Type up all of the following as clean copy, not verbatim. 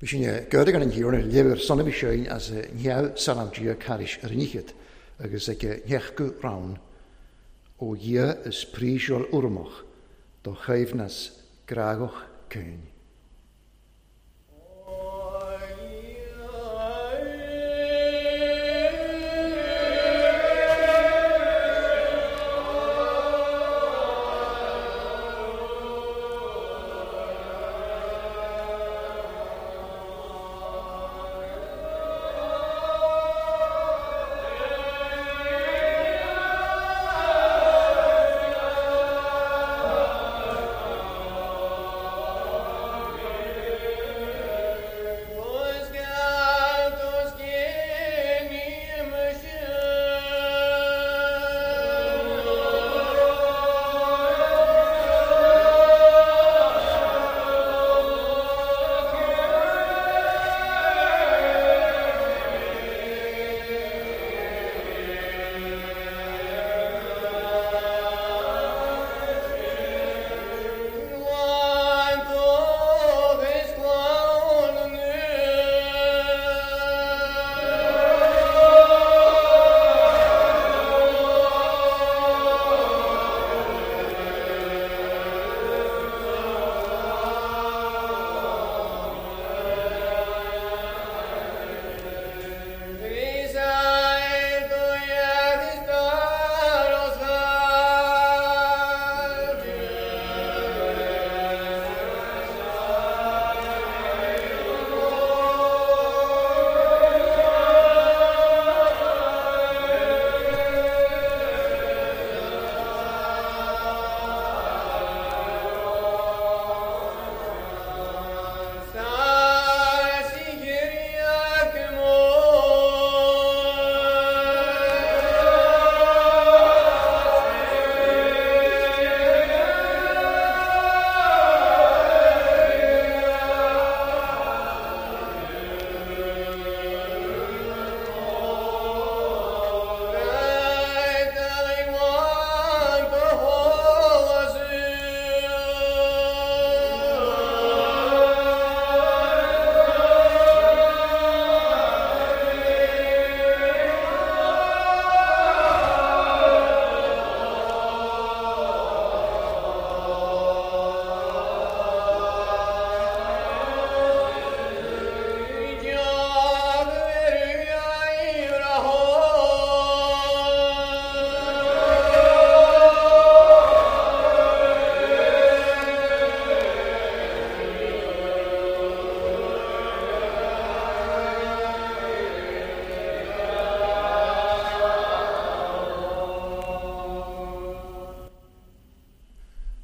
Bhí Gurdagan an thiarna leabhar sona bhí séin as neamh salam Dia caris ar an ichead agus ag neach go rann ó Dhia is príseol urmach do chaimhneas grágach céin.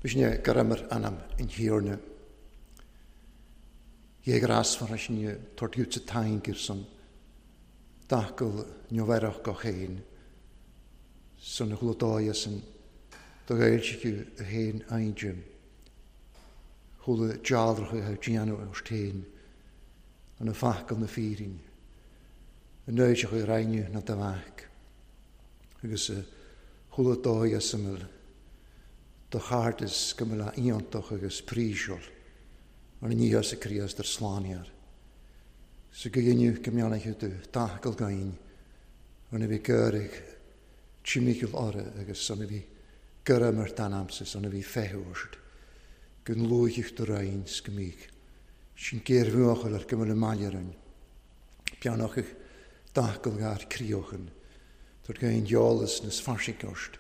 Bhí gurmar anam in thiarna. Dhé grasfar sin tortú sa taingir san dacail neomhaireach go chéin san chlutáia san do ghailsiú a héin aindrim. Chula dealracha a déanamh ar téin an na facal na fírin. An nóiseach a rainne na da agus chula dóia samil do chairdis go mbeadh iontach agus príseol an níos sa Críost ar slániar. Sa go dhéanamh go mbeannaithe do tacail gain an a bhí gcuirig timimiil orra agus an a bhí gura mar tanamsa an a bhí feúirt gon luaitheach do roinns go mích. Sin géirmhuachail ar go bhfuil mailearrain. Beannachach tacail gar críochan, Tar gain deolas nas farsicost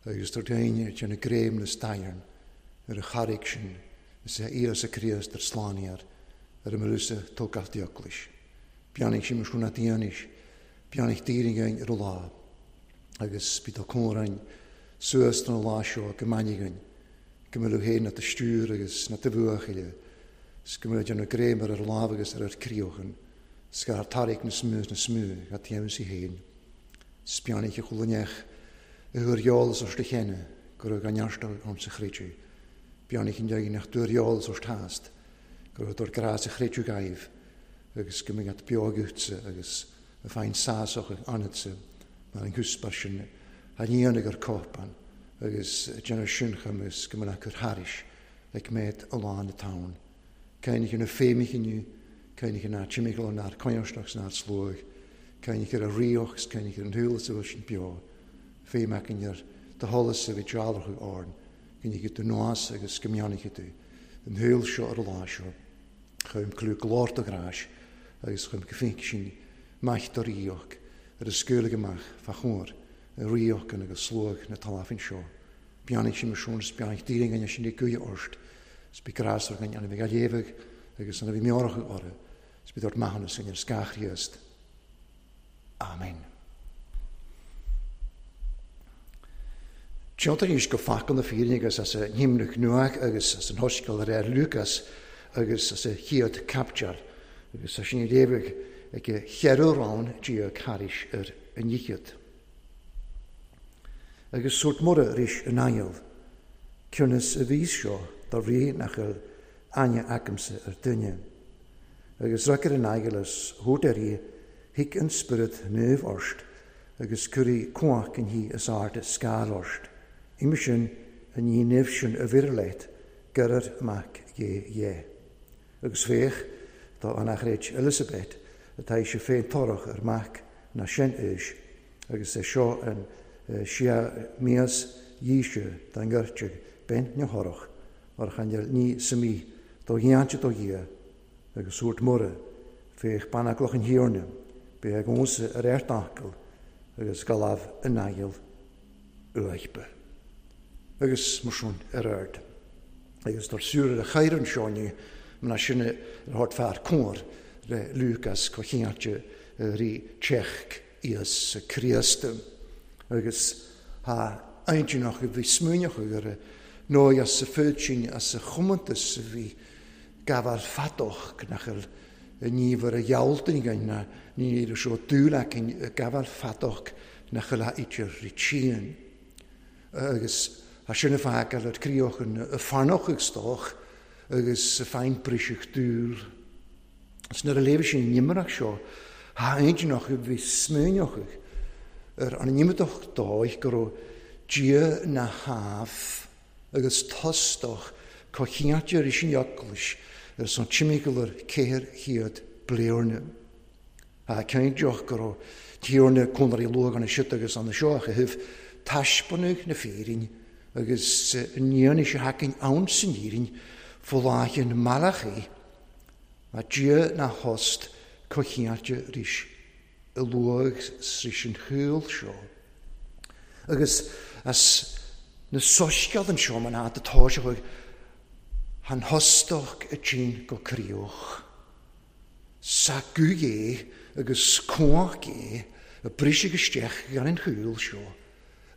agus tar gain ar na gréim na stairn ar a charraig sin is é Íosa Críost ar slániar ar a marúsa tógach dioclais. Beannaigh sin mar na dianis, beannaigh daoine ar a lá agus bí tá córain suas don lá seo go mainneagain, go mbeadh féin na stiúr agus na bhuachaille, 's go mbeadh déanamh gréim ar ar lámh agus ar ar críochan, 's go tarraig na smú na smú a dhéanamh sí féin. Spianaigh a chualaneach a thuair eolas os do chéanna go raibh gan nearstail orm sa chreidiú. Beannaigh an deimhin nach dtuair eolas os tást, go raibh dúr grás a chreidiú gaibh agus go mbeadh beogachtsa agus a féin sásach anadsa mar an gcúspar sin a níonaigh ar cópan agus déanamh sincham agus go mbeadh cur thairis ag méad a lán na tán. Céin na féimichinniu, Cainich an timigl an ár coinneach san ár sluag, cainich ar a rioch 's cainich ar an shúil is a bhfuil sin beo, féim acainn ar do sholas a bhí dealrachadh orainn, go ndéanfaidh tú nós agus go mbeannaífidh tú an shaol seo ar an lá seo. Chuim clú glór do ghráis agus chuim go fínc sin maith do ríoch ar a scaoileadh amach fá chomhair a ríoch agus sluag na talmhan seo. Beannaigh sin mar sin is beannaigh daoine againne sin ag guí ort 's bí grásmhar againn an a bhí á léamh agus an a bhí meabhrach orthu 's bí dort maithiúnas againn ar scáth Chríost. Amen. Tiontar anois go focal na fírinne agus as a n-imreach nuach agus as an Shoiscéal de réir Lúcás agus as a chéad caipiteal agus tá sin ag léamh ag a cheithre rann thairis ar an fhichead. Agus sórt Muire arís in aingeal, cionn is a bhíos seo dá bhrí nach bhfuil aithne agamsa ar duine. Agus rug ar an aingeal is thabhairt air í, Thig an Spiorad Naomh ort agus cuirfidh cumhacht an Thí is Airde scáil ort. Uime sin, an ní nimh sin a bheireadh leat, geirir Mac Dhé dhe. Agus féach, tá an achréid Elisabet, atá ise féin torrach ar mac ná sin aois, agus é seo an sea mias dhíse dá ngoirteadh bean na thorrach, mar chan fheil ní sa mí do gheáinte do Dhia, agus thabhairt Muire, féach banaclach an Thiarna, beidh ag ionsaí ar airteagal agus galamh in aghaidh uaidhbe. Agus mar sin ar aird. Agus dar súil ar a chair anseo inniu, mná sin ar thabhairt fear cóir le Lúcás comhcheannairte rí Tseach Íosa Críost. Agus tá aintineach a bhí smaoineach ar a ndóigh as a phoitín as a chomóntas a bhí gabháil fadach nach bhfuil i ngníomh ar a ghealltain againn ná ní raibh seo dúil againn i gabháil fadach nach bhfuil a idir rítíonn. Agus tá sin a fágáil ar críoch an farnach ag stoch agus a fein briseadh dúil. Is nuair a léifidh sin an imearach seo, tá aintineach a bhí smaoineach ar an imeadach dóigh go raibh Dia na hámh agus tostach comhcheannairte ar an eaglais ar son timpeall ar 400 bliana. Tá cinnteach go raibh Tiarna Conairí luath gan siad agus an seo a chaitheamh taispeánadh na fírinne agus an fhianaise a thacaíonn ann san fhírinne fo-láithreán Malachaí, má Dia ná thost comhcheannairte arís i luath sris an shaol seo. Agus as na soiscéal anseo mar atá tá sé chuig an thostach a tinn go críoch. Sa guth é agus cumhacht é a briseadh isteach gan an shaol seo,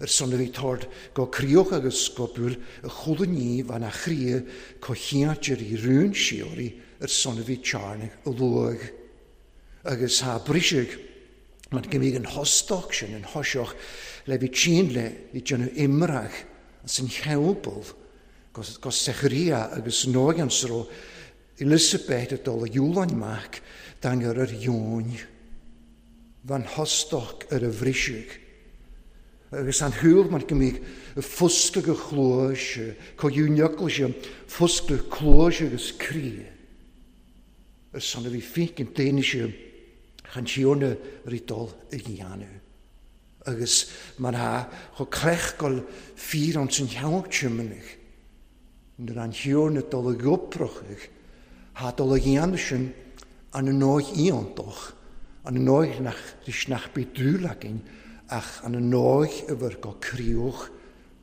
ar son a bhí tord go críoch agus go búil a chuala ní bhean a chroí comhcheannairte rí rún síoraí ar son a bhí tearnach a luath. Agus tá briseadh mar go mbíodh an thostach sin, an thoiseach, le bhí tinn le bhí déanamh imreach as an theampall go Secharia agus nóigh an sro Elisabeth ag dul a dhiúláin amach daingear ar dheoin. Bhean thostach ar a bhriseadh. Agus an shúil mar go mbíodh foscadh a chluais, comhghiúineaclaise, foscadh cluais agus croí. Ar son a bhí fíc an daoine sin chun Tiarna rí dul a dhéanamh. Agus mar a chomh cleachgáil fíor ann san cheann tiomanach, nuair an Thiarna dul a ghoprochaidh, thá dul a dhéanamh sin an ndóigh iontach, an ndóigh nach leis nach bith dúil againn, ach an ndóigh a bhur go críoch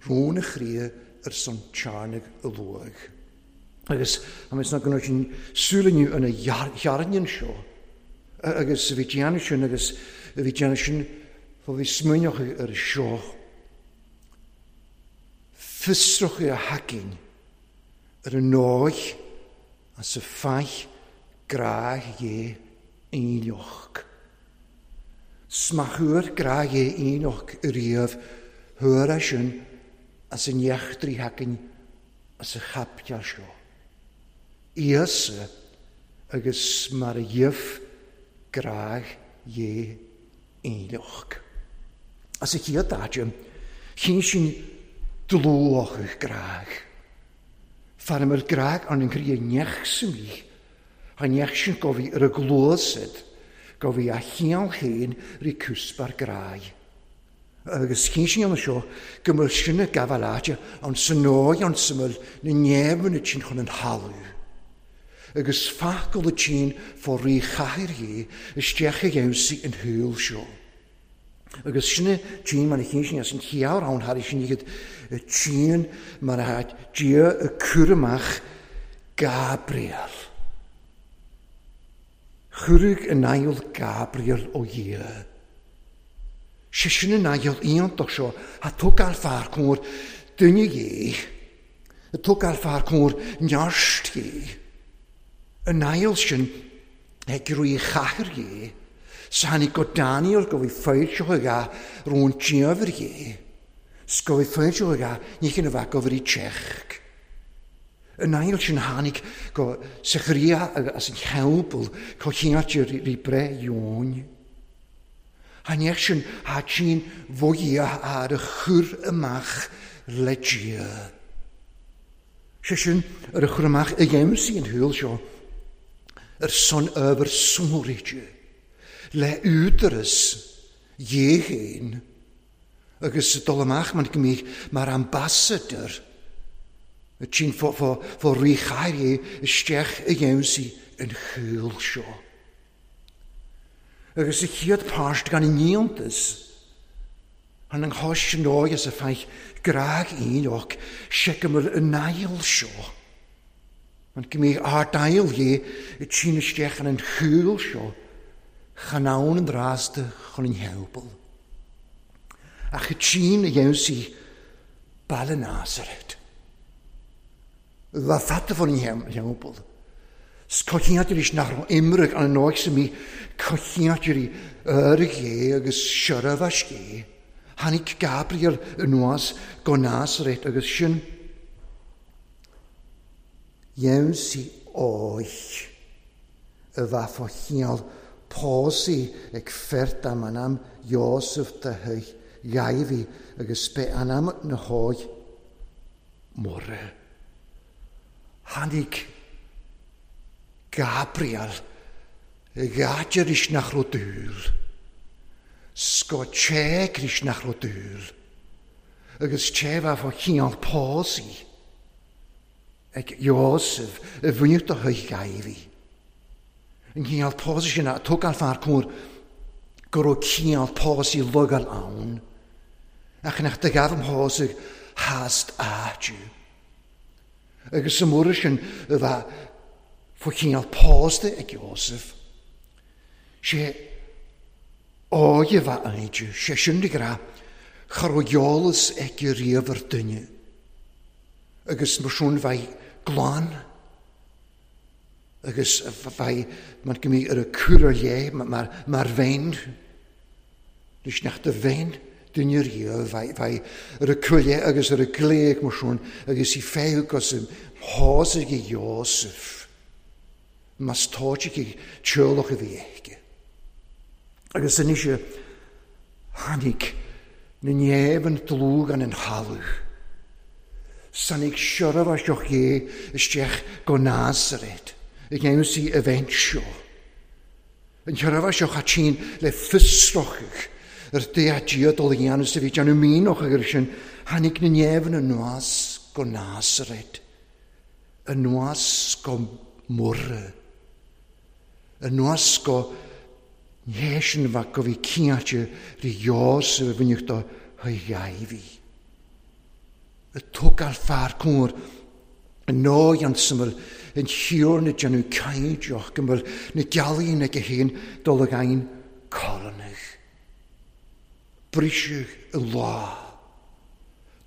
rún a chroí ar son Tiarna a luaigh. Agus tá mé sna go sin súil inniu ina thearnann seo. Agus bhí déanamh sin agus bhí déanamh sin bhí smaoineach ar seo. Fiosrach a thacainn ar an ndóigh as a faith grá dhé aoinleach. Smachuair grá dhé aoinleach riamh thuar é sin as an eachtraí thacainn as a chaipiteal seo. Íosa agus mar a dhíobh grá dhé aoinleach. As a chéad áit, chinn sin dlúthach grá. Fear a mbeadh grá an chroí neach sa mí, Tha neach sin go bhí ar a gcluasaid, go bhí a chiall féin rí cúsbar grái. Agus chinn sí an seo go mbeadh sin ag gabháil áite ann san dóigh ann sa mbeadh na néamhanna tinn chun an thalamh. Agus facal a tinn fá rí chathair dhé isteach a gheimhsí an shaol seo. Agus sin a tinn mar a chinn sí as an chiall ann thar sin iad a tinn mar a Dia a cur amach Gabriel. Chuireadh an aigheal Gabriel ó Dhia. Sé sin an aigheal iontach seo a tógáil fear cóir duine dhé, a tógáil fear cóir neart dhé. An aigheal sin ag rí chathair dhé, 's tháinig go Daniel go bhí foilseach aige rón diamhair dhé, 's go bhí foilseach aige ní chin a bheadh go bhrí teach. An aigheal sin tháinig go Sachariah as an theampall co chiáite rí breith Eoin. Tha neach sin tha tinn bhoighe ar a chur amach le Dia. Sé sin ar a chur amach i gheimsí an shaoil seo ar son ábhar sonraithe le údaras Dhé féin agus dul amach mar go mbíodh mar ambassador a tinn fá rí chathair é isteach i gheimsí an shaoil seo. Agus sa chéad páirt gan an iontas, than an chois an dóigh is a feich grag Enoch seiceamhail an aigheal seo. An go mbíodh ard-aigheal dhé ag tinn isteach in an chúl seo chan ann an rásta chun an theampaill. Ach ag tinn a dheimhsigh baile Nazaret. Bha fada fán theampall. 'S coitcheantair nach raibh imreag an nóig sa mí coitcheantair Airgé agus Seirbheascé. Tháinig Gabriel anuas go Nazaret agus sin dheimhsigh óich a bheith fá chineál pósaí ag fear dá m'anam Iósaf de thuigh Dháibhí agus b'é anam na hóig Muire. Tháinig Gabriel ag áit arís nach raibh dúil. 'S go téigh arís nach raibh dúil. Agus té bheith fá chineál pósaí ag Iósaf i bhfuinneamh do thuigh Dháibhí. An cineál pósaí sin a tógáil fear cóir go raibh cineál pósaí logáil ann, ach nach do ghabh an pósadh theas áitiú. Agus sa mhuir sin a bheith fá chineál pósta ag Iósaf, sé óige a bheith aige, sé sin de ghnáth, cha raibh eolas aici riamh ar duine, agus mar sin bheith glan. Agus bheidh mar go mbíodh ar a cur ar leith mar bheinn, leis nach do bheinn duine riamh, bheidh ar a cur ar leith agus ar a glaoch mar sin agus í féadh gus im shásaigh ag Iósaf, más tóite ag teaghlach a bhí aici. Agus anois tháinig na néamh dlúth gan an thalamh. Tháinig seirbhíseach Dhé isteach go Nazaret ag aimsí a bheint seo. An tseirbhíseach a tchíonn le fiosrachadh ar Dé a Dia dul a dhéanamh is a bhí déanamh mianach air sin, tháinig na néamhanna anuas go Nazaret, anuas go Muire, anuas go Nhéisean mhac go bhí cinnte rí Iósaf a bhaineadh do Dháibhí. A tógáil fear cóir an ndóigh an tsuimil an thiarna déanamh caighdeach go bhfuil na gealaíon aige féin dul ag aon colonach. Briseadh i lá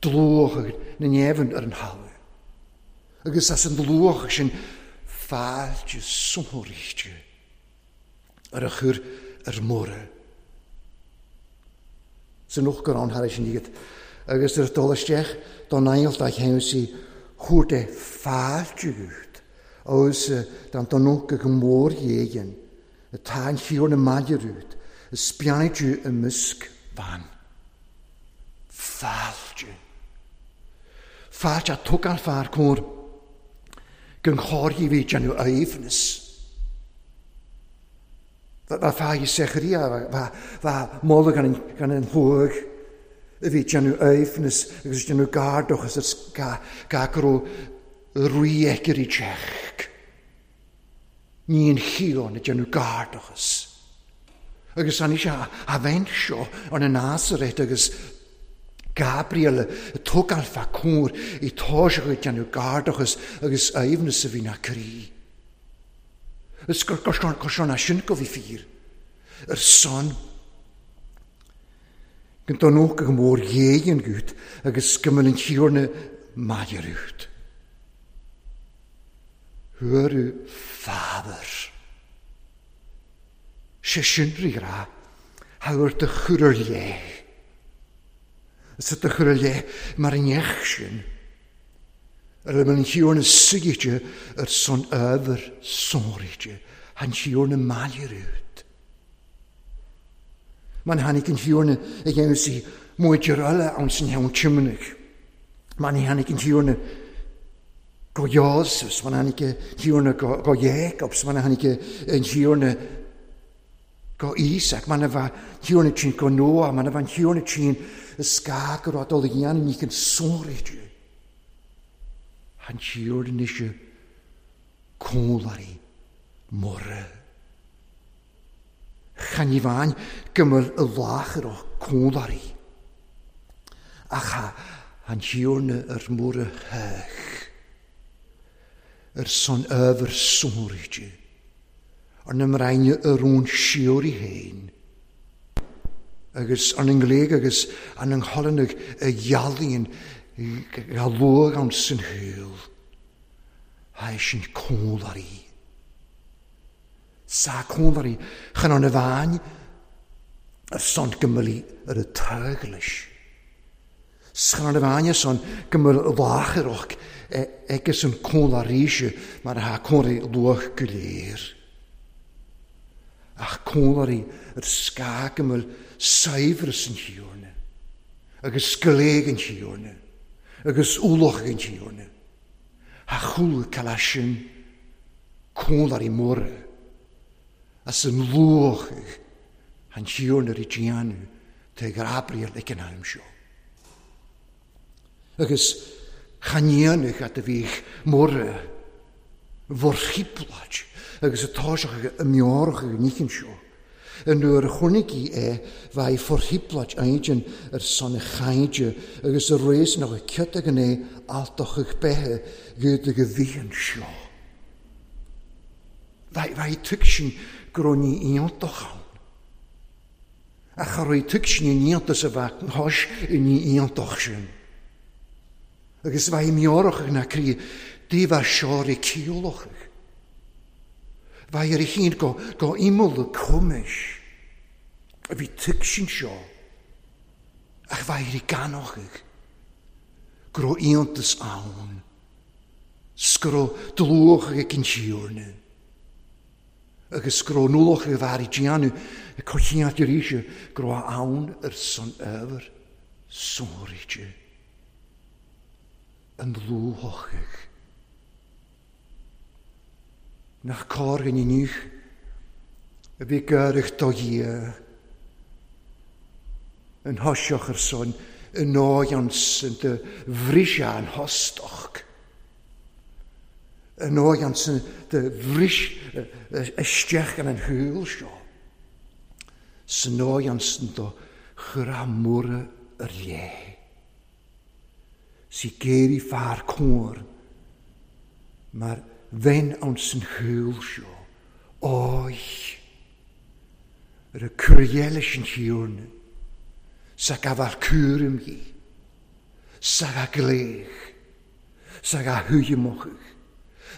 dlúth na néamhann ar an thalamh. Agus as an dlúth sin fáilte sonraíte. ar a chur ar Muire. San uachtarán thar sin iad, agus ar dul isteach don ailt a cheann sí chuaird é fáilte agat agus dan don unca go mór dhéigin atá an chiúr na maide rút is beannaigh i measc bhan. Fáilte. Fáilte a tugann fear cóir gon chóir a bhí déanamh aoibhneas. Bha fáidh Secharia, bha moladh gan an shlóigh a bhí ag déanamh aoibhneas agus ag déanamh gar dóchas ar gach a raibh rí aici ar teach. Ní an chiall ag déanamh gar dóchas. Agus anois a bheinn seo ar na Nazaret agus Gabriel ag tógáil fá cóir i toiseach ag déanamh gar dóchas agus aoibhneas a bhí na croí. Is gur seo ná sin go bhí fíor ar son go ndonódh go mór ghéigh an gut agus go mbeadh an Tiarna maidir út. Thuaradh fábhar. Sé sin rí rá, thabhair do chur ar leith. Is do chur ar leith mar an neach sin. Ar a bhfuil an Tiarna suite ar son ábhar sonraithe, an Tiarna maidir út. Man tháinig an Tiarna ag dhéanamh sí muidir eile ann san cheann Tiomnaigh. Man tháinig an Tiarna go Iósaf, man tháinig an Tiarna go Jacob, man tháinig an Tiarna go Íosác, man a bheith Tiarna tinn go Noah, man a bheith Tiarna tinn is gá go raibh dul a dhéanamh ní chun sonraithe. An Tiarna ise cónlairí mura. Chan i bhain go mbeadh i láthair ó cónlairí. Ach an Tiarna ar mura theach. Ar son ábhar sonraithe. Ar na mbraine a rún siúr i féin. Agus an ngléig agus an nghollanach a ghealaíonn ga luach ann san shaol. Tha sin cónlairí. Sa cónlairí chan an bhain ar son go mbeadh ar a teaghlais. Chan an bhain ar son go mbeadh láithreach agus an cónlairíse mar atá cónlairí luach go léir. Ach cónlairí ar scáth go mbeadh saibhreas an Tiarna agus gléig an Tiarna agus ualach an Tiarna. A chúla cala sin cónlairí móra as an luach an Tiarna ar déanamh tá Gabriel ag an am seo. Agus chan dhéanamh a bhíodh móra bhorchiplaid agus a táiseach a meorach ag an níchin seo. An nuair a chonaic í é bheidh forchiplaid aidin ar son a chaide agus a réis nach a ciot ag an é altach ag beithe gud ag a bhíonn seo. Bheidh tuig sin go raibh ní iontach ann. Ach a raibh tuig sin in iontas a bheith thois i ní iontach sin. Agus bheidh meorach ag na croí daoibh seo i ciallach. Bheidh ar a chinn go imeall y cwmys. A bhí tuig sin seo. Ach bheidh ar i ganoch go raibh iontas ann. 'S go raibh dlúch ag an Tiarna. Agus go raibh nualach ag bheith ar déanamh ag coitiant arís go raibh ann ar son ábhar sonraithe. An dlúthach. Nach cóir go inniu a bhí gaireach do Dhia. An thoiseach ar son an óighean san do bhris an thostach. An óighean san do bhris isteach in an shúil seo. San óighean san do chur a móra ar léith. Sí géirí fear cóir mar bheinn ann san shúil seo. Óigh! Ar a cur leis an Tiarna, sa gabhar cúram dhi, sa ga gléich, sa ga thuilleamach,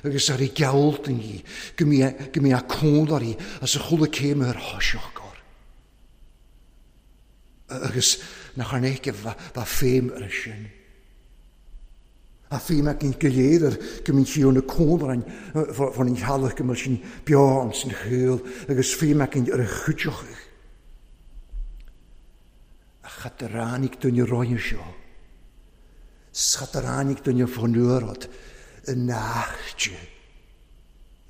agus ar i gealltan dhi, go mbí a cónlairí as a chúla céim ar thoiseach gor. Agus nach ar éice bha féim ar sin. A féim ag an go léir ar go mbíonn sí na cónlainn fan an teallach go mbeadh sin beo an san shaol agus féim ag ar a chuideach. A chataránaigh duine roinne seo. Chataránaigh duine fónuarad i náchte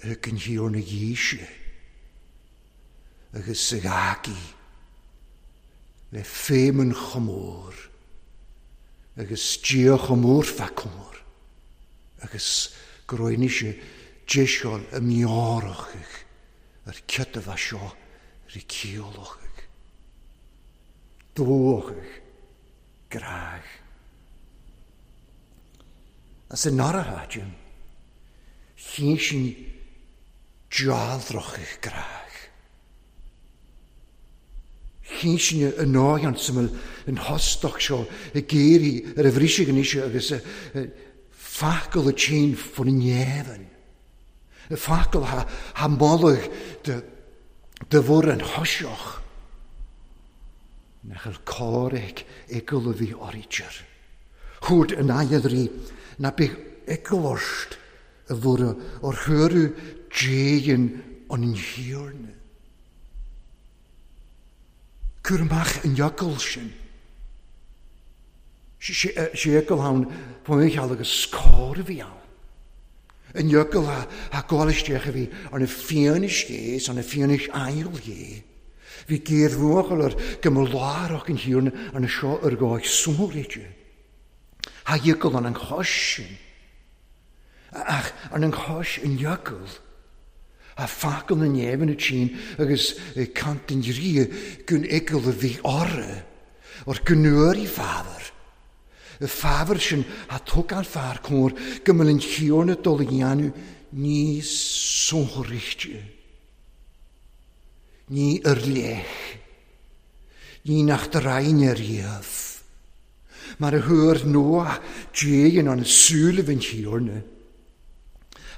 ar an thiar na dhíse. agus a ghágaí le féimeann chomh mór agus Dia chomh mór fá comhar agus go raibh anois deiseáil a meabhrachaidh ar cad a bheadh seo ri ciallachaidh, dóchaidh, gráidh. As an áirithe, chinn sin dealrachaidh gráidh. Chinn sin a ndóigh an suimil an thostach seo ag éirí ar a bhriseadh anois agus facal a tinn faoin neamhain. Facal ha moladh de bhur an thoiseach. Nach bhfuil cor ag eagal a bhí áirítear. Chuairt an aighead rí ná bíodh eagal ort a bhur ar thuaradh déan an thiarna. Cuir amach an eagal sin. Sé eagal ann faoin cheal agus cor a bhí ann. An eagal a gabháil isteach a bhí ar na fianaise is ar na fianaise aigheal dhé. Bhí géar bhuachaill ar go mba lárach an thiarna ar na seo ar dhóigh sóiréide. Ha eagal an an chois sin. Ach ar an chois an eagal. A facal na neamh na tinn agus cant an rí gun eagal a bhí orra, or gnúir i fábhar. Y fábhar sin a thug an fear cóir go mbeadh an thiarna dul a dhéanamh ní sóiréide. Ní ar leith. Ní nach draine riamh. Mar a thuair Noah déan an súil an thiarna.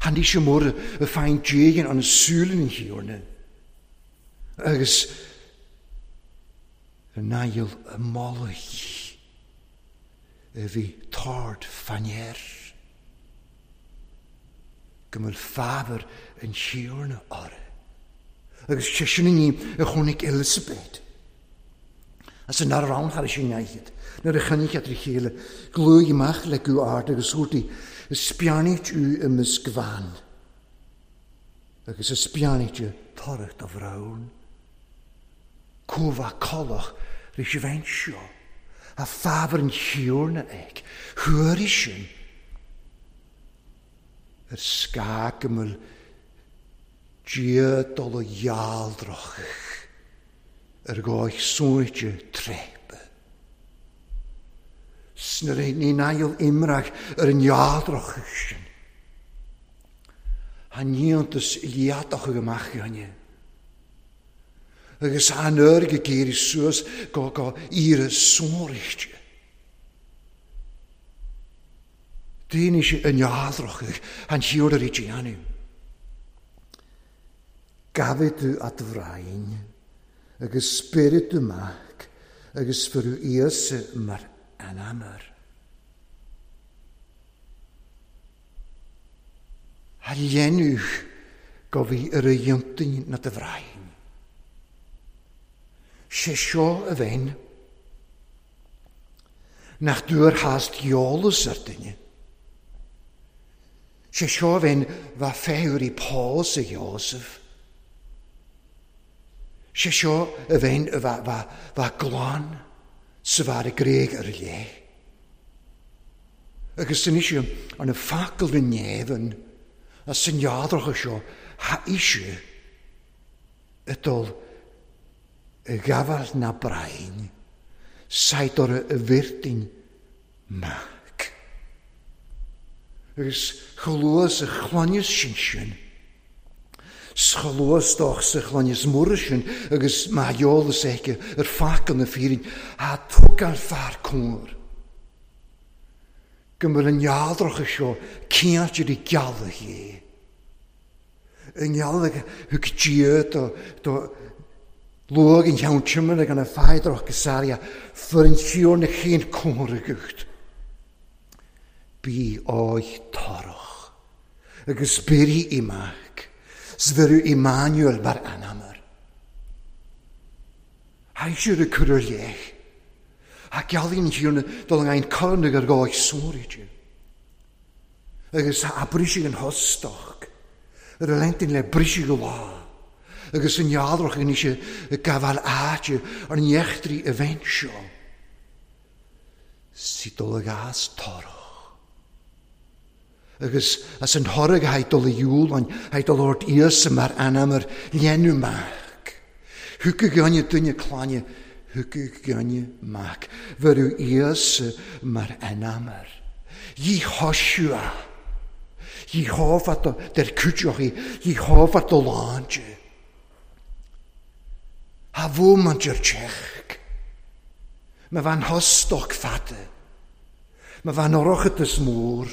Tháinig sé mór a fein déan an súil an thiarna. Agus an aigheal a moladh a bhí tard fanéir. Go bhfuil fábhar an thiarna orthu. Agus sé sin ní a chonaic Elisabeth. As an ar ann thar sin aighead. Nuair a chonaic iad a chéile, gluaigh amach le guth ard agus dúirt is beannaithe tú i measc bhan. Agus is beannaithe toradh do bhraon. Cómha collach ris a bheint seo. A fábhar an thiarna ag. Thuairigh sin. Ar scáth go bhfuil Dia dul a dhealrach ar dhóigh suaite tréipe. Sna ní nail imreach ar an dhealrach sin. An níontas liadach amach gainne. Agus an uair go géirí suas go go iarra sóiríte. Daoine sé an dhealrach an thiarna rí déanamh. Gabhaidh tú at bhrain agus spiorad tú mac agus fuair Íosa mar anamar. A dhéanamh go bhí ar a dhéantaí na do bhrain. Sé seo a bheinn nach dúr hast eolas ar duine. Sé seo a bheinn bha féirí Paul sa Joseph. Sé seo a bheinn bha glan sa bhar i gréig ar léith. Agus san ise an na facal na neamhan a san jadracha seo ha ise y dul y gafal na brain said o'r y fyrddin mac. Agus chlywes y chlonius sin sin. Schlywes doch sa chlonius mwr sin agus ma eolas aici ar facal na fírin a thug an fear cóir. Go bhfuil an jadracha seo cinnte i gealach é. An gealach thug Dia do luag an cheann timire gan a feidrach go sária fuair an thiarna chéin cóir agat. Bí áith tarach agus beirí i mac, sbheireadh Emmanuel mar anamar. Haisiúr y cur ar leith. A gealaíonn an thiarna dul an aon corn ag ar gáid sóiríte. Agus a briseadh an thostach. Ar a lentin le briseadh go lá. Agus an ealrach anois ag gabháil áite ar an eachtraí a bheinn seo. Sí dul ag as torach. Agus as an thoradh a dul i iúlainn, a dul ort Íosa mar ainm ar dhéanamh mac. Thiocfadh gainne duine clainne, thiocfadh gainne mac. Bheireadh Íosa mar ainm air. Yehoshua. Jehovah der cuideochaí, Jehovah do láinte. Ha bhuaimint ar teach. Ma bhean thostoch fada. Ma bhean orochat is mór.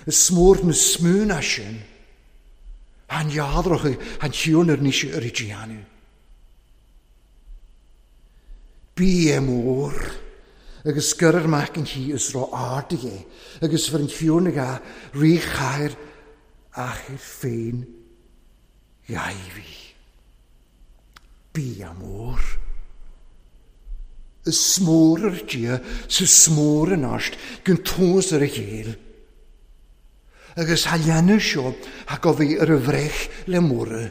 Is mór na smúna sin. Han jadrach han chiúnar níos ar i déanamh. Bí é mór. Agus scoir mac an chi is rá ardaigh é, agus bhur an chiúnaigh a ríchathair achair féin ghaibhí. Bí a mór. Is mór ar Dia sa smór an áist gon tús ar a chéile. Agus ha leanadh seo ha go bhí ar a bhreith le móra.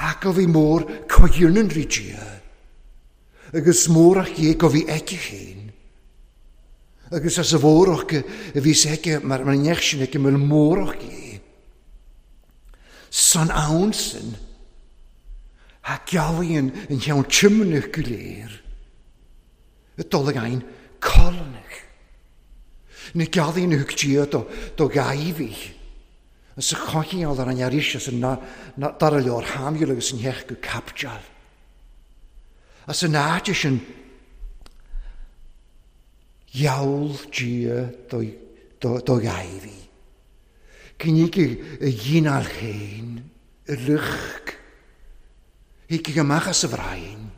Ha go bhí mór coighearnan rí Dia. Agus mórach dhé go bhí aici féin. Agus as a mhórach a bhí aici mar neach sin aici mar mórach dhé. San ann sin, ha gealaíonn an cheann tiomnach go léir. Y dul ag ein colonnach. Na gealaíonn thug Dia do ghaibhí. As a choicheáil ar an arís as an dara leor Shamúil agus an theach go capteáil. As an áit sin gheall Dia do ghaibhí. Gnígh a dhíneáil féin, a luch. Thiocfadh amach as a bhraon.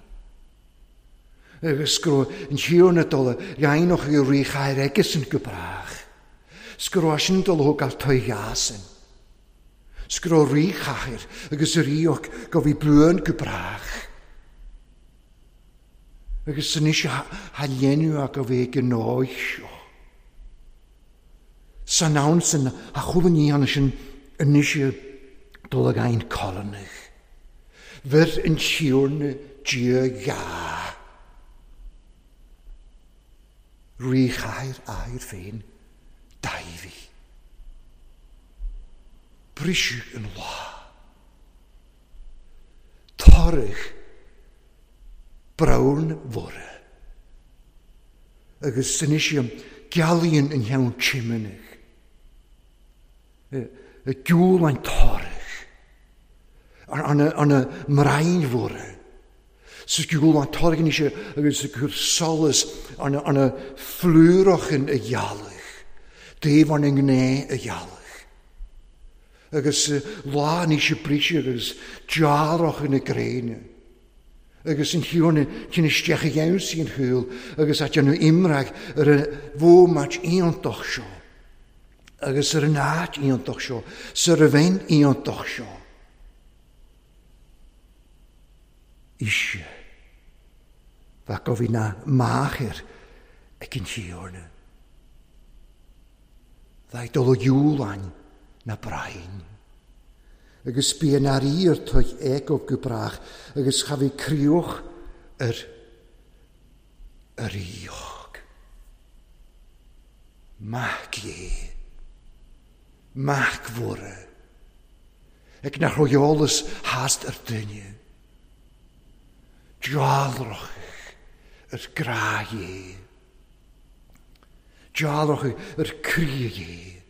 Agus go raibh an Tiarna dul a dhéanamh i ríchathair aigesan go brách. 'S go raibh sin dul a thógáil toigheasan. 'S go raibh ríchathair agus a ríoch go bhí buan go brách. Agus anois ha dhéanamh a go bhí ag an áit seo. San ann san a chuala ní ann sin anois dul ag ein colonnach. Bhir an Tiarna Dia gha. Ríchathair athair féin, Dáiví. Briseadh an lá. Toradh braon mhóra. Agus anois gealaíonn an cheann tiomnach. Giúl an toradh. Ar na mbraon mhóra. Sa giúl an toradh anois agus ag cur solas ar na flúrachan a ghealach. Taobh ar na ngné a ghealach. Agus lá anois a briseadh agus dealrach na gréine. Agus an chiúna cinn isteach a dhéansaí an chúl agus a déanamh imreag ar an bhfuaimait iontach seo. Agus ar an áit iontach seo, sa ar a bheinn iontach seo. Ise, bheadh go bhí na máthair ag an Tiarna. Bheadh dul ó dhiúlainn na brain. Agus bí an airí ar toigh éagóg go brách agus cha bhí críoch ar ríoch. Mac é. Mac mhóra. Ag nach raibh eolas thast ar duine. Dealrach ar grá é. Dealrach ar croí é.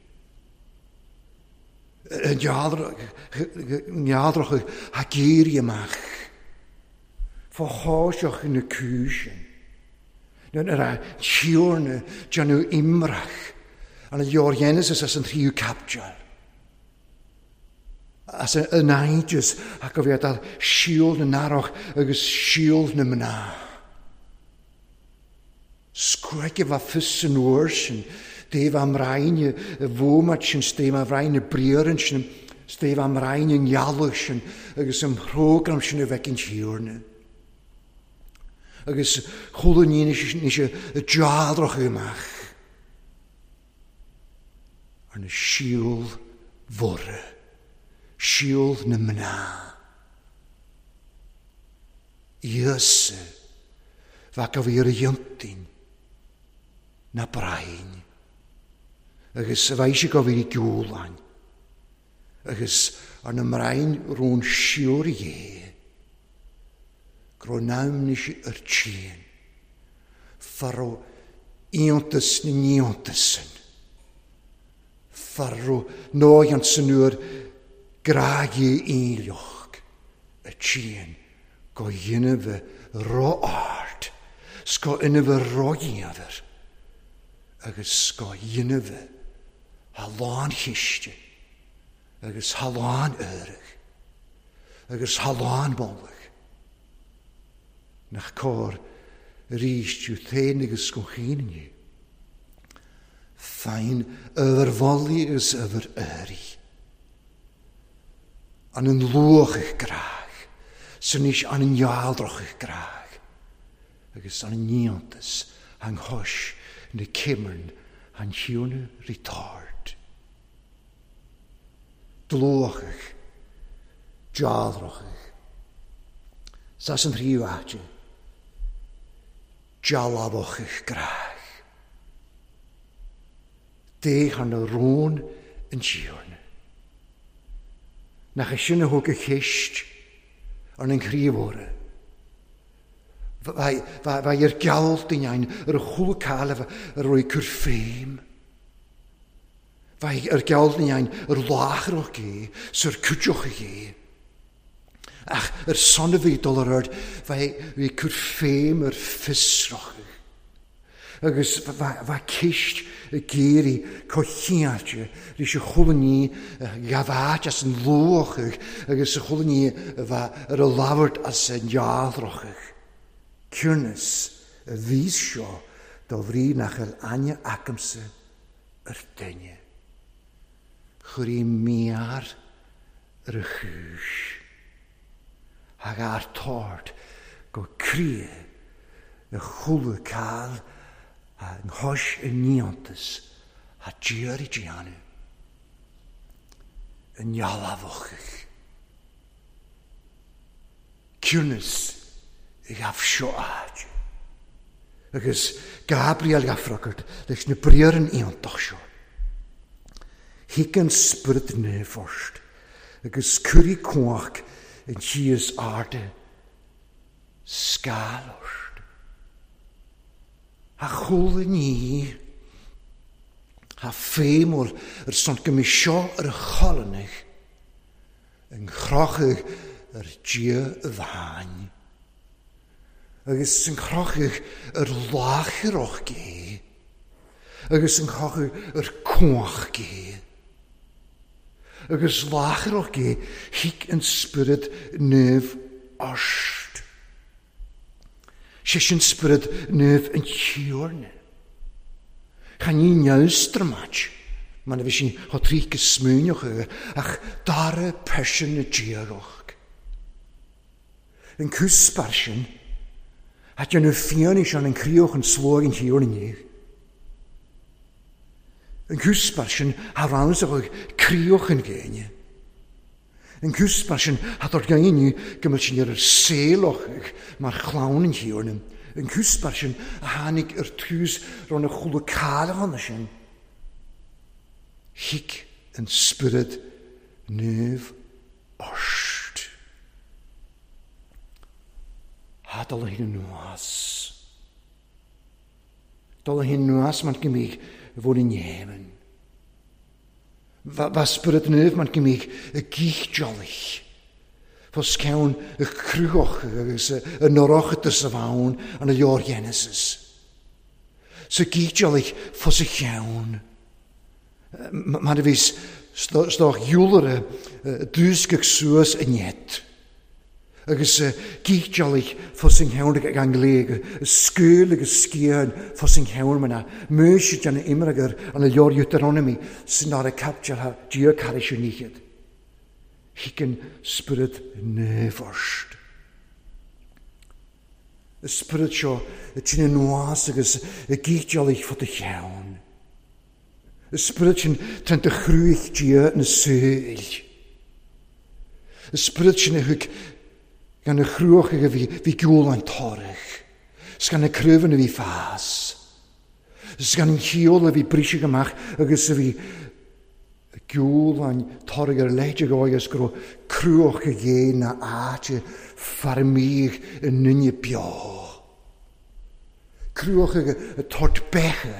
Dealrach a géirí amach. Fá cháiseach na cúisin. Nuair a Tiarna déanamh imreach an leor Genesis as an tríú capteáil. As an aigis ach go bhféadfadh síol na n-earrach agus síol na mná. Scuaice bheith fios san uair sin, taobh am roinne i bhfuamat sin, taobh am roinne briathran sin, taobh am roinne ngealach sin agus am thrógram sin a bheith an Tiarna. Agus chuala ní níos a dealrach amach ar na síol mhóra. Síol na mná. Íosa, bheadh a bhí ar a dhiontaoin ná braon, agus a bheidh sé go bhí giúláin, agus ar na mbraon rón siúr dhé, go raibh namhnis ar tséan, fá raibh iontas na n-iontas san, fá raibh nóighean san uair grágaidh aoinleach a tséan go dhéanamh ró-ard, 's go inmhe ró-ghéabhar, agus go dhéanamh a lánchiste agus a lán-fhearg agus a lánmholadh. Nach cóir arís tú féin agus go féin inniu. Fein uimhir mhullaigh agus uimhir earraigh. An an luach grách, san aois an an ghealdrach grách, agus an an iontas an chois na cimearn an chiúine retard. Dlúthach, dealrachach. Sas an thríú áite, dealbhachach grách. Dé thar na rún an Tiarna. Nach é sin a thug a cheist ar an ngríomhaire. Bheadh ar geall duine ar a chúl cailbhe a raibh cur féim. Bheadh ar geall duine ar láithreach é, 's ar cuideoch é. Ach ar son a bhí dul ar aird, bheadh cur féim ar fiosrach. Agus bheadh ceist ag iarraidh comhchinnte leis a chuala ní ghabháit as an luach agus a chuala ní a bheith ar a labhairt as an ndealrachadh. Ciúnas a bhí seo dá bhrí nach bhfuil aithne agamsa ar duine. Chuir í miar ar a chúis. Thug ár tord go croí a chuala cáil a nghois i n-iontas a d'iarraidh déanamh i ndealbhachadh. Ciúnas a ghabh seo áit. Agus Gabriel á freagairt leis na briathra iontach seo. Thig an Spiorad Naomh ort agus cuirfidh cumhacht an tí is airde scáil ort. A chuala ní, a feidhmiúil ar son go mbeidh seo ar a cholainn an chrochadh ar Dia amháin, agus an chrochadh ar láithreach gé, agus an chrochadh ar cumhacht gé, agus láithreach gé thuig an Spiorad Naomh ort. Sé sin Spiorad Naomh an Tiarna. Chan ní neamhstramaid, mar a bhí sin chomh tríth go smaoineoch air, ach dara pearsa na diagacht. An cúspar sin, a déanamh fianaise an chríoch an slóigh an Thiarna inniu. An cúspar sin, a rannsóidh críoch an ghéine. An cúspar sin, a dár inniu go mbeadh sin ar ar saolach mar chlann an Thiarna. An cúspar sin, a tháinig ar tús ran a chúla cáileachana sin. Thuig an Spiorad Naomh ort. Tá dul a anuas. Dul a anuas mar go mbíodh bhfuil in Éirinn. Bha Spiorad Naomh mar go mbíodh i gcíchdealaigh. Fos ceann y cruthach agus y norochtas a bhain an y leor Genesis. Sa gcíchdealaigh fos y cheann. Mar a bhí stoch iúlare dúscach suas i net. Agus gíteálaigh fos an cheann ag an ngléig, scaoil agus scian fos an cheann mana, Maois den imreagar an leor Deuteronomy san ára captealha Dia caris níchead. Hicken Spiorad Naomh ort. Y spiorad seo y tyn yn was agus y gíteálaigh fod y cheann. Y spiorad sin trent y chrwych Dia na saoil. An spiorad sin a thug gan na chruacha a bhí, bhí geoláin torrach, 's gan na craobhanna a bhí fás, 's gan an cheol a bhí briseadh amach agus a bhí geoláin toraidh ar leithéid a dhóigh is go raibh cruacha dhé na áite fear-mígh i nduine beo. Cruacha ag tabhairt beithe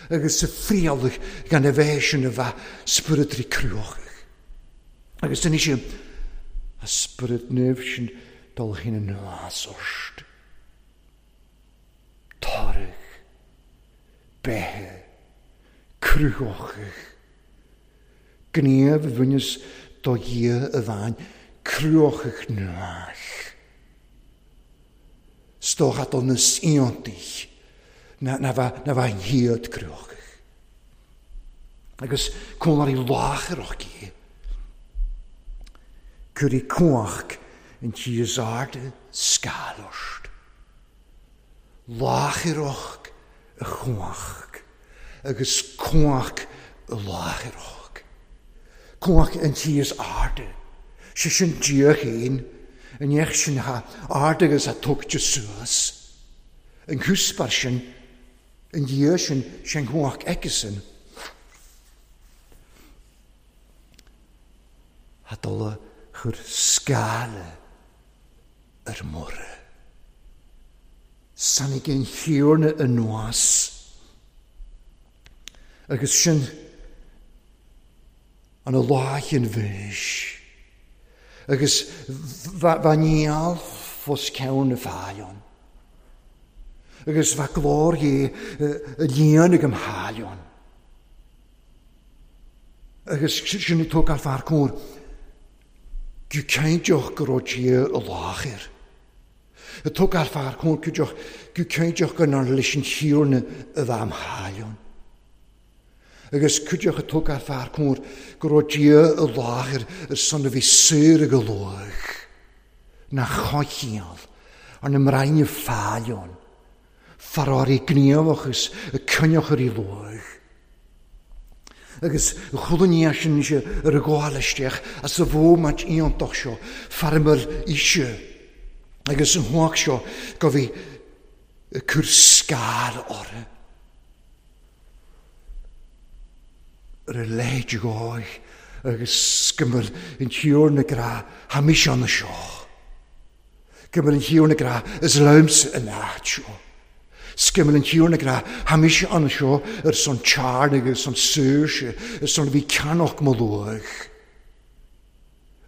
agus a frialach gan a bheith sin a bheith spiorad rí cruachach. Agus anois a spiorad naomh sin dul féin anuas ort. Toradh, beithe, cruthóchaidh. Gníomh a bhaineas do Dhia a bhain cruthóchaidh nuach. 'S dócha do na saontaigh na bheith hiad cruthóchaidh. Agus cónairí láithreach í. Cuirí cumhacht in tí is airde scáil ort. Láithreach a chumhacht agus cumhacht a láithreach. Cumhacht an tí is airde. Sé sin Dia féin, an neach sin atá ard agus atá tugtha suas. An cúspar sin, an Dia sin, sé an chumhacht aigesan. Tá dul a chur scála ar Muire. Tháinig an Thiarna anuas agus sin ana lá an bhis agus bha níall fos ceann na fáileann agus bha glór dhé a líon ag am tháileann. Agus sin ag tógáil fear cóir go cinnteach go raibh Dia i láthair. Ag tógáil fear cóir go cinnteach go nár leis an Thiarna a bheith am tháileann. Agus cuideach ag tógáil fear cóir go raibh Dia i láthair ar son a bhí saor ag a luach nach choicheall ar na mbrainne fáileann, faráirí gníomhachas ag coinneach ar í luach. Agus chuala ní sin sé ar a ghabháil isteach as a bhómait iontach seo, fearmail aoise, agus an huac seo go bhí ag cur scair orthu. Ar a leithéid dhóigh agus go mbeadh an Tiarna grá thaimis ann seo. Go mbeadh an Tiarna grá is liomsa an áit seo. Scimil an Tiarna grá thaimis ann seo ar son tearn agus son saoirse ar son a bhí ceannach mo luach.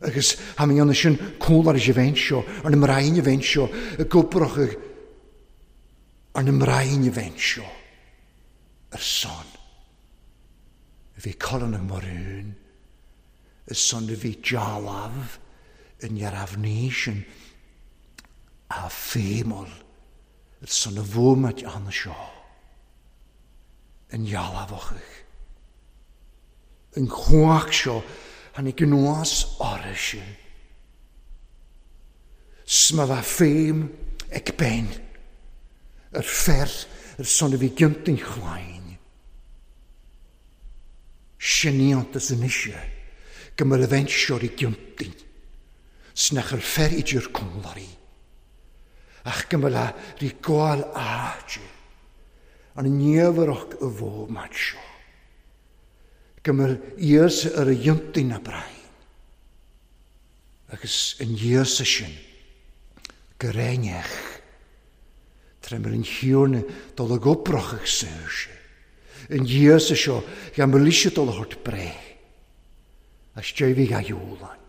Agus tha mé ann sin cúlár is a bheinn seo, ar na mbrainn a bheinn seo, i gcobrach ar na mbrainn a bheinn seo, ar son a bhí Colin ag Maroon, ar son a bhí dealbh i ndearbhnaí sin a féimol ar son a bhuamaid ann seo, an dhealbhachadh. An chumhacht seo tháinig anuas oraibhse. 'S má bheadh féim ag Ben ar fer ar son a bhí giontain chlainn. Sin iontas anois é go mbeadh a bheinseoir i gciontain 's nach ar fer idir cúnlairí. Ach go mbeadh a rí gabháil áite an niamhrach a bhómat seo. Go mbeadh Íosa ar a ghiontaí na brain. Agus an Íosa sin go réineach tré mar an Thiarna dul ag obrach ag saoirse. An Íosa seo gan mbeadh ise dul a thabhairt breith. As deimhigh a gheoláin.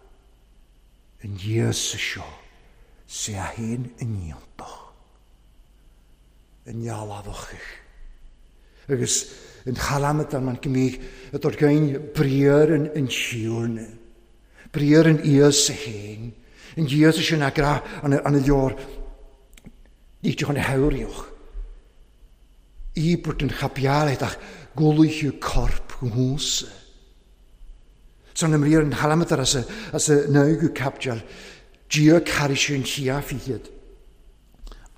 An Íosa seo sé a fhéin an iontach. An ndealbhachach. Agus an chalamad an go mbíodh a dtabhairt gain briathar an Thiarna. Briathar an Íosa féin. An Íosa sin a grá an leor ní chun a thabhraíoch. Íobairt an chaipíálaigh ach gulaithe corp dhúnsa. San an mbriathar an chalamad as a naoú caipiteal, Dia carraigh an chiafiad.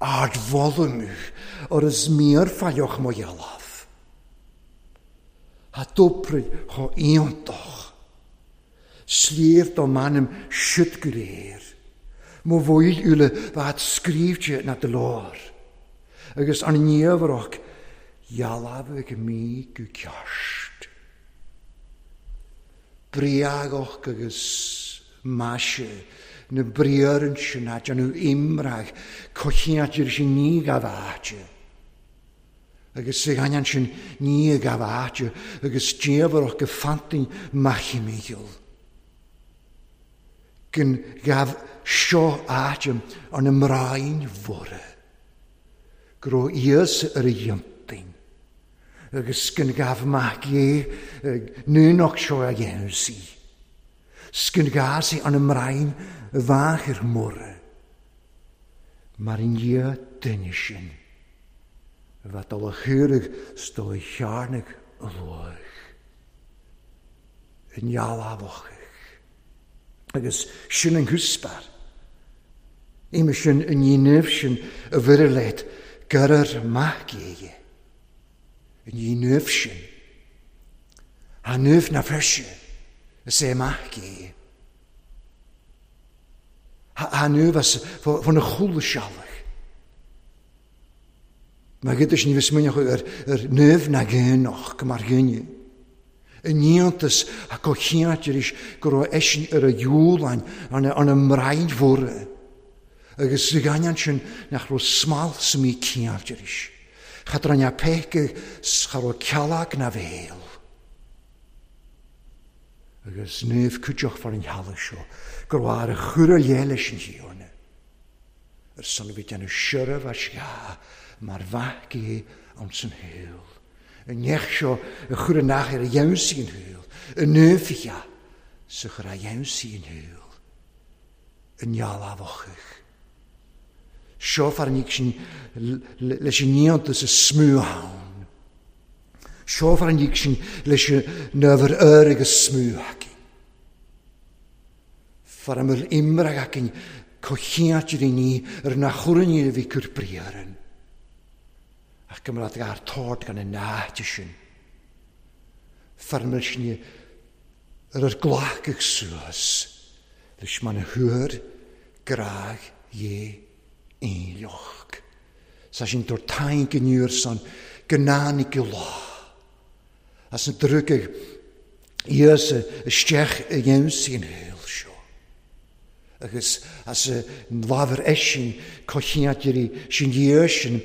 Ardmholadh or is mír failleach mo dhealbh. Tha dópraidh cho iontach. Sliabh do m'anam siud go léir. Mo bhfuil uile bhat scríbhte na do lár. Agus an niamhrach dhealbhaigh mí go ceart. Briagach agus maise na briarann sin a déanamh imreach coitianta sin ní gabh áite. Agus sa ghainneán sin ní gabh áite agus diamhrach go fantain machimicheal. Gin gabh seo áite an mráin mhóra. Go raibh Íosa ar a dhéantain. Agus gin gabh mac Dhé núnach seo a dhéanamh sí. Sgin gásaí an mráin mháthair mhóra. Mar an Dhia duine sin a bheith dul a chuireadh 's dul a chearnaigh a luach. I ndealbhach. Agus sin an cúspar. Ime sin an dhéanamh sin a bhfuirir leat gurar mac éige. An dhéanamh sin. Tha nimh na feirse is é mac é. Tha nimh as fan na chúla sealach. Mar gyda sin fys mwyn ar nimh na gynnoch go mar gynnu. Yn niantas ac o chiant ar eis go raibh eisin ar a dhiúlain an y mraid fwrdd. Agus sa ghainnean sin nach raibh smal sa mí ciant ar eis. Chadran a peice cha raibh ceallag na bhéal. Agus nimh cuideach far an thealach seo, gur mhair a chur a lé leis an thiarna. Ar son bhí déanamh siorramh as gha mar mhac é ann san shaol. An neach seo a chur an nach ar a dhéansaí an shaol. An nimh sa chur a dhéansaí an shaol. An nealámhachach. Seo far an sin leis an níontas a smú ann. Seo far an sin leis an nöfar ör agus smú acin. Far am yr imrag acin cochiant i ni ar na chwryn i fi cwr briaran. Ac gymryd ar tord gan y náte sin. Far am sin ar yr glach ag suas. Leis man y hwyr graag je einjoch. Sa sin dor tain geniur son gnáni lá. As yn drwg Iesu isteach y dhéansaí an shaol seo. Agus as an lábhar eisin cochiantirí sin dhia sin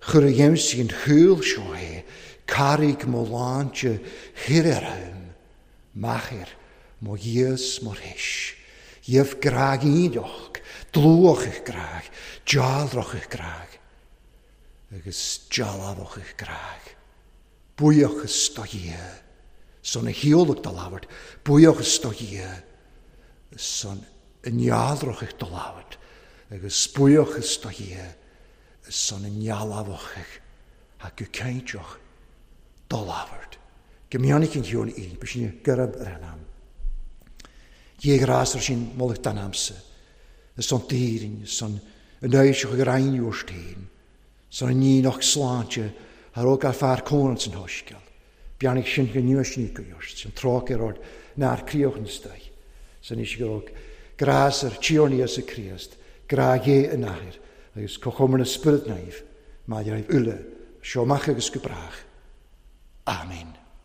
chur a dhéansaí an shaol seo é, carraig mo láinte thirearm, machair mo dhíos mo réis. Dhíobh graag íoch, dlúach graag, dealrach graag, agus dealbhach graag. Buíochas do Dhia, son a hiolach do labhairt, buíochas do Dhia, son a nealrach do labhairt, agus buíochas do Dhia, son a nealbhach ha go ceinteach do labhairt. Go mionach an hión í, bu sin gurab ar an am. Dhé grás ar sin moladh dan amsa, son dtírin, son an éiseach ag rain úrstéin, son an níoch sláinte ar ó gar fear cónan san hoisceal. Beannaigh sin go nua sin go just, sin tráth ar ord nár críoch an staigh. San is go grás ar tíorní as a Críost, grá dhé an athair, agus cochomar na spirit naomh, maidir raibh uile, seo amach agus go brách. Amen.